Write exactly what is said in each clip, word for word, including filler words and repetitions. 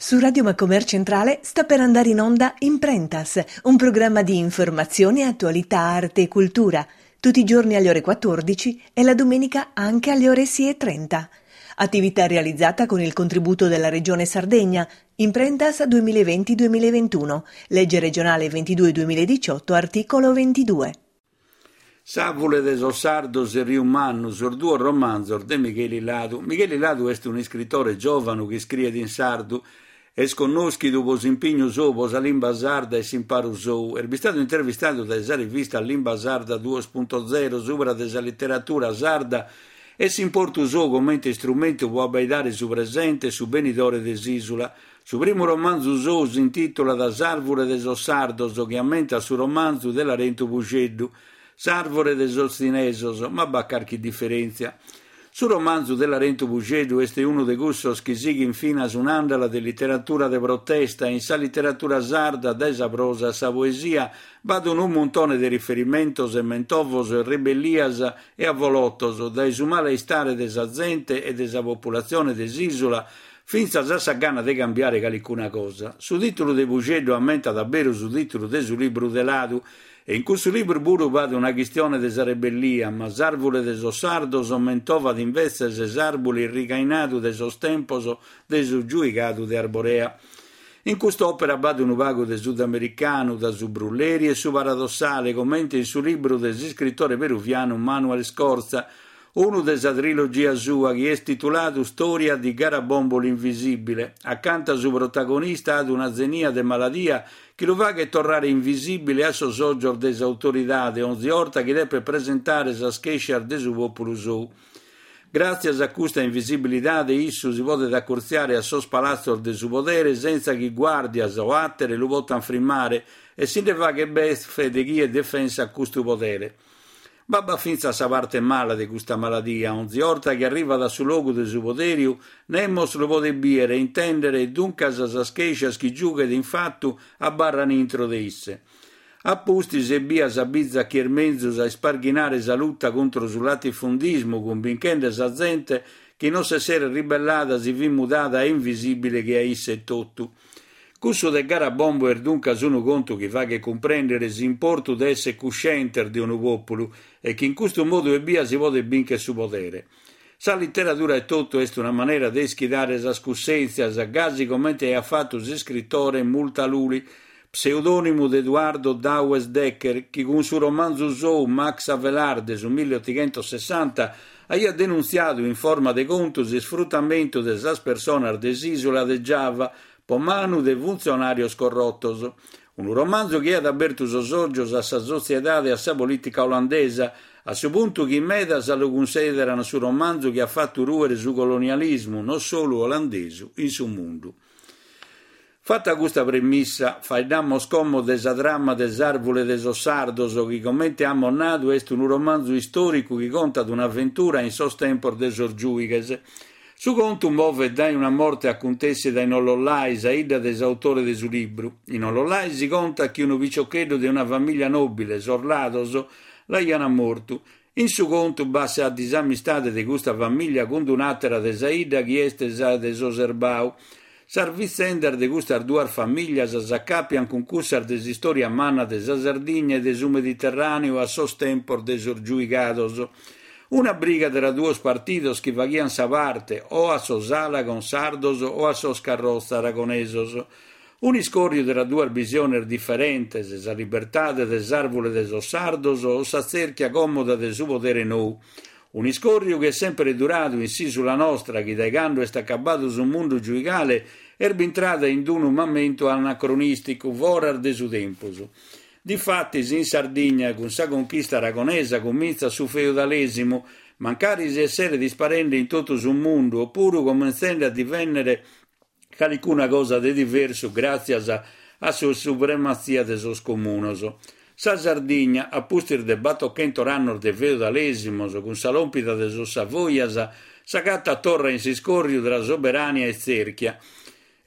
Su Radio Macomer Centrale sta per andare in onda Imprentas, un programma di informazione, attualità, arte e cultura, tutti i giorni alle ore quattordici e la domenica anche alle ore sei e trenta. Attività realizzata con il contributo della Regione Sardegna, Imprentas duemilaventi duemilaventuno, legge regionale ventidue duemiladiciotto, articolo ventidue. S'arvule de sos sardos e Riu Mannu, sos duos romanzos de Micheli Ladu. Micheli Ladu est un'iscritore giovanu chi iscriet in sardu. Est connoschidu pro s'impignu suo pro sa limba sarda e s'imparu suo. Est bistadu intervistadu dae sa rivista Limba Sarda duos punto zero subra de sa literatura sarda e s'importu suo comente istrumentu pro abbaidare su presente e su benidore de s'isula. Su primu romanzu suo s'intitulat S'arvure de sos sardos, chi ammentat su romanzu de Larentu Pusceddu, S'arvure de sos tzinesos, ma b'at carchi differentzia. Su romanzu de Larentu Pusceddu est unu de cussos chi sighint finas un'àndala de literatura de protesta. In sa literatura sarda, dae sa prosa a sa poesia, b'at unu muntone de riferimentos e mentovos e rebellias e avolotos, dae su male istare de sa zente e de sa populatzione de s'ìsula fintzas a sa gana de cambiare calicuna cosa. Su tìtulu de Pusceddu ammentat a beru su tìtulu de su libru de Ladu, e in cussu libru puru b'at una chistione de sa rebellia, ma s'arvule de sos sardos mentovat invetzes s'arbule irrigainadu de sos tempos de su giuigadu de Arborea. In cust'òpera b'at unu pagu de sudamericanu, da su brulleri e su paradossale, comente in su libru de s'iscritore peruvianu Manuel Scorza, unu de sa trilogia sua chi est tituladu Storia di Garabombo l'invisibile. Acanta su protagonista at una zenia de maladia chi lu faghet torrare invisibile a sos ògios de s'autoridade onzi orta chi depet presentare sas chèscias de su pòpulu sou. Gràtzias a custa invisibilidade issu si podet acurtziare a sos palatzos de su podere senza chi guàrdias o àtere lu potant frimmare e si nde faghet befe de chie defensat custu podere. Ma b'at fintzas sa parte mala de custa maladia. Onzi orta chi arrivat a su logu de su poderiu, nemos lu podet bìere e intèndere e duncas sas chèscias chi giughet in fatu abarran intro de isse. A pustis ebbia s'abizat chi est menzus a isparghinare sa luta contro su latifundismu, cumbinchende sa zente chi non s'esseret ribellada si fit mudada a invisibile che a isse etotu. Cussu de Garabombo est duncas unu contu chi faghet cumprèndere s'importu de èssere cuscientes de unu pòpulu e chi in custu modu ebbia si podet bìnchere su podere. Sa literadura etotu est una manera de ischidare sas cussèntzias, gasi comente aiat fatu s'iscritore Multaluli, pseudònimu de Eduardo Douwes Dekker, chi cun su romanzu sou Max Havelaar de su milleotighentosessanta aiat denuntziadu in forma de contu s'isfrutamentu de sas personas de s'ìsula de Giava po manu de funtzionàrios corrotos. Unu romanzu chi aiat abertu sos ògios a sa sotziedade e a sa polìtica olandesa, a su puntu chi medas lu cunsìderan su romanzu chi at fatu rùere su colonialismu, non solu olandesu, in su mundu. Fatta custa premissa, faeddamos como de sa trama de S'arvule de sos sardos, chi comente amos nadu est unu romanzu istòricu chi contat un'aventura in sos tempos de sos giùighes. Su contu movet dae una morte acuntèssida in Ollollai, sa 'idda de s'autore de su libru. In Ollollai si contat chi unu piciocheddu de una famìlia nòbile, sos Lados, l'aiant mortu. In su contu b'at sa disamistade de custa famìlia cun un'àtera de sa 'idda chi est sa de sos Erbau. Sas vitzendas de custas duas famìlias s'acapiant cun cussas de s'istòria manna de sa Sardigna e de su Mediterràneu a sos tempos de sos giuigados. Una briga tra duos partidos chi faghiant sa parte o a sos Alagon sardos o a sos Carrozza aragonesos. Un'iscòrriu tra duas bisiones diferentes, sa libertade de s'arvule de sos sardos o sa tzèrchia còmoda de su podere nou. Un'iscòrriu chi est sempre duradu in s'ìsula nostra, chi dae cando est acabadu su mundu giuigale est bintrada in unu mamentu anacronìsticu, foras de su tempus. Difatis in Sardigna, cun sa conchista aragonesa, comintzat su feudalesimu, mancari si esseret isparende in totu su mundu, opuru comintzende a divennere calicuna cosa de diversu gràtzias a sa suprematzia de sos comunos. Sa Sardigna, a pustis de batochentos annos de feudalesimos, cun sa lòmpida de sos Savoias, s'agatat torra in s'iscòrriu tra soberania e tzèrchia.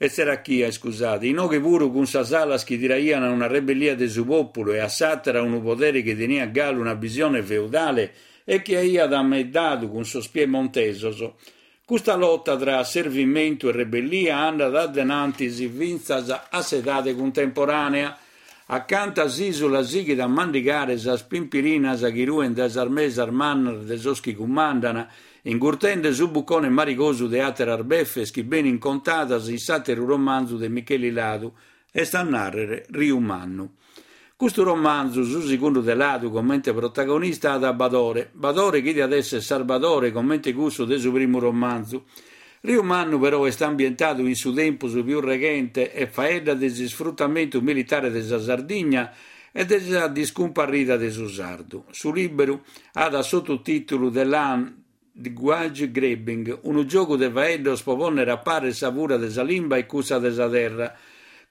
E tzerachia, iscusade, inoghe puru cun sas alas chi tiraian a una rebellia de su pòpulu e a s'àtera unu podere chi teniat galu una bisione feudale e chi aiat ameddadu cun sos piemontesos. Custa lota tra asservimentu e rebellia andat a denantis fintzas a s'edade cuntemporànea, acanta s'ìsula sighit a mandigare sas pimpirinas chi ruen dae sas mesas mannas de sos chi cumandan, ingurtende su bucone marigosu de àteras befes chi benin contadas in s'àteru romanzu de Micheli Ladu, est a nàrrere Riu Mannu. Custu romanzu, su segundu de Ladu comente protagonista at a Badore, Badore chi diat èssere Sarbadore comente cussu de su primu romanzu. Riu Mannu però est ambientadu in su tempus pius reghente e faeddat de s'isfrutamentu militare de sa Sardigna e de sa discumparrida de su sardu. Su lìberu at sottotìtulu The Language Grabbing, unu giogu de faeddos pro pònnere a pare sa fura de sa limba e cussa de sa terra.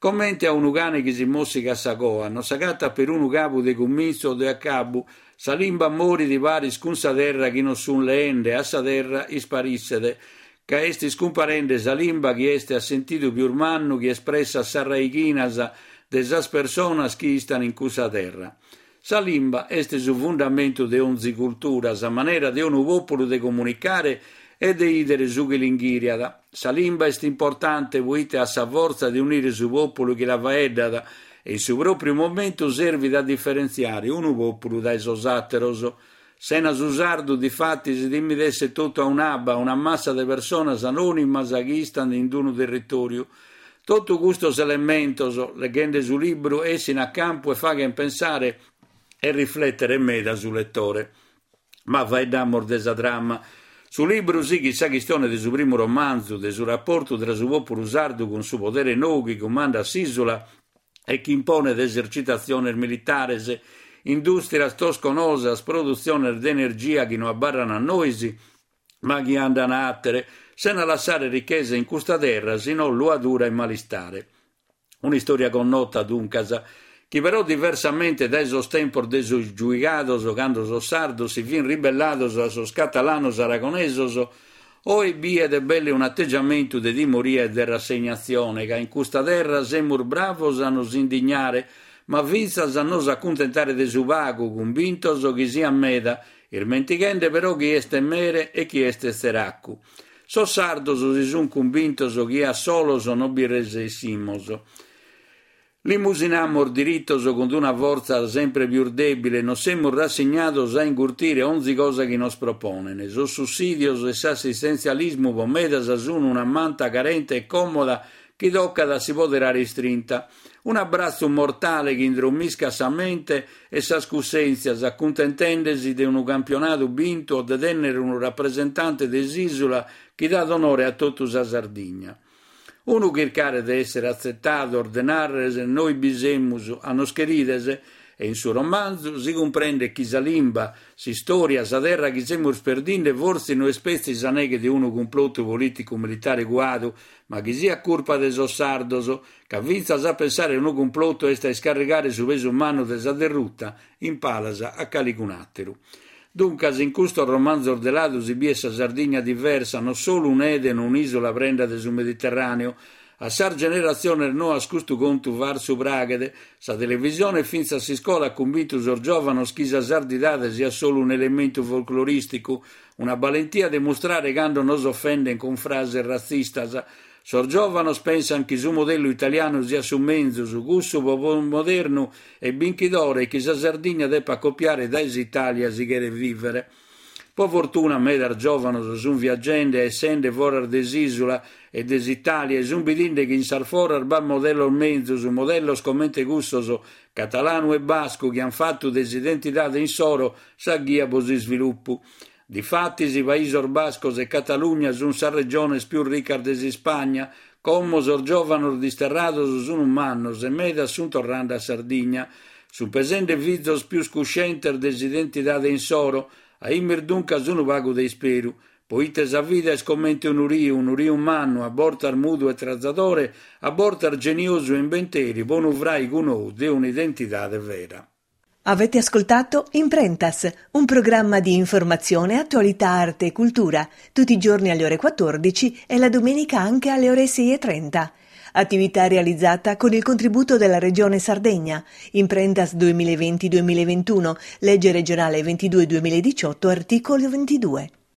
Comente a unu cane chi si mòssigat sa coa, non s'agatat perunu cabu de cumintzu o de acabu, sa limba morit paris cun sa terra chi nos sunt leende, a sa terra isparisset, ca est iscumparende sa limba chi est a sentidu pius mannu chi espressat sas raighinas de sas personas chi istan in cussa terra. Sa limba est su fundamentu de onzi cultura, sa manera de unu pòpulu de comunicare e de ìdere su chi l'inghìriat. Sa limba est importante poite at sa fortza de unire su pòpulu chi la faeddat e in su pròpiu momentu servit a diferentziare unu pòpulu dae sos àteros. Sena su sardu, difatis, timit èssere totu a un'abba, una massa de personas anònimas chi istant in unu territòriu. Totu custos elementos, leghende su libru, essin a campu e faghent pensare e riflètere meda su letore. Ma faeddamus de sa trama. Su libru sighit sa chistione de su primu romanzu, de su raportu tra su pòpulu sardu cun su podere nou chi cumandat s'ìsula e chi imponet esercitatziones militares, indùstrias tosconosas, produtziones de energia chi no abarran a nois, ma chi andan a àtere, sena lassare richesa in custa terra, si no luadura e malistare. Un'istòria connota, duncas, chi però diversamente dae sos tempos de sos giuigados, cando sos sardos si fin ribellados a sos catalanos aragonesos, oe biet belle un'ategiamentu de timoria e de rassegnatzione, ca in custa terra semus bravos a nos indignare, ma fintzas a nos acuntentare de su pagu, cumbintos chi siat meda, ismentighende però chi est mere e chi est tzeracu. Sos sardos si sunt cumbintos chi a solos non bi resessimos. Limusinamus diritos cun una fortza sempre pius dèbile e nos semus rassignados a ingurtire onzi cosa chi nos proponen. Sos sussìdios e s'assistentzialismu pro medas sunt una manta carente e còmoda chi tocat a si poderare istrinta. Un'abbratzu mortale chi indromiscat sa mente e sas cussèntzias, acuntentende-si de unu campionadu bintu o de tènnere unu rapresentante de s'ìsula chi dat onore a totu sa Sardigna. Unu chircare de èssere atzetados, de nàrrere noi bi semus, a nos cherides, e in su romanzu si cumprendet chi sa limba, s'istòria, sa terra chi semus perdinde fortzis no est petzi sa neghe de unu cumplotu polìticu-militare cuadu, ma chi siat curpa de sos sardos, ca fintzas a pensare unu cumplotu est a iscarrigare su pesu mannu de sa derruta in palas a calicun'àteru. Duncas, in custos romanzos de Ladu si biet sa Sardigna diversa, non solu un'Eden, un'ìsula prenda de su Mediterràneu. A sas generatziones noas custu contu farsu praghet. Sa televisione e fintzas s'iscola at cumbintu sos giòvanos chi sa sardidade siat solu un'elementu folclorìsticu, una balentia de mustrare cando nos ofenden cun frases ratzistas. Sos giòvanos pensant chi su modellu italianu siat su menzus, cussu modernu e binchidore e chi sa Sardigna depat copiare dae s'Itàlia si cheret vìvere. Pro fortuna medas giòvanos sunt viagende e essende foras de s'ìsula e de s'Itàlia e sunt bidende chi in sas foras b'at modellos menzus, modellos comente cussos catalanu e bascu chi ant fatu de s'identidade insoro sa ghia pro s'isvilupu. Difatis, Paisos Bascos e Catalugna sunt sas regiones pius ricas de s'Ispagna, como sos giòvanos disterrados sunt mannos e medas sunt torrende a Sardigna. Sunt pesende fizos pius cuscientes de s'identidade insoro, aimis duncas unu pagu de isperu, poite sa vida est comente unu riu, unu riu mannu, a bortas mudu e trazadore, a bortas geniosu e imbenteri, pro unu fraigu nou de un'identidade vera. Avete ascoltato Imprentas, un programma di informazione, attualità, arte e cultura, tutti i giorni alle ore quattordici e la domenica anche alle ore sei e trenta. Attività realizzata con il contributo della Regione Sardegna. Imprentas duemilaventi duemilaventuno, legge regionale ventidue duemiladiciotto, articolo ventidue.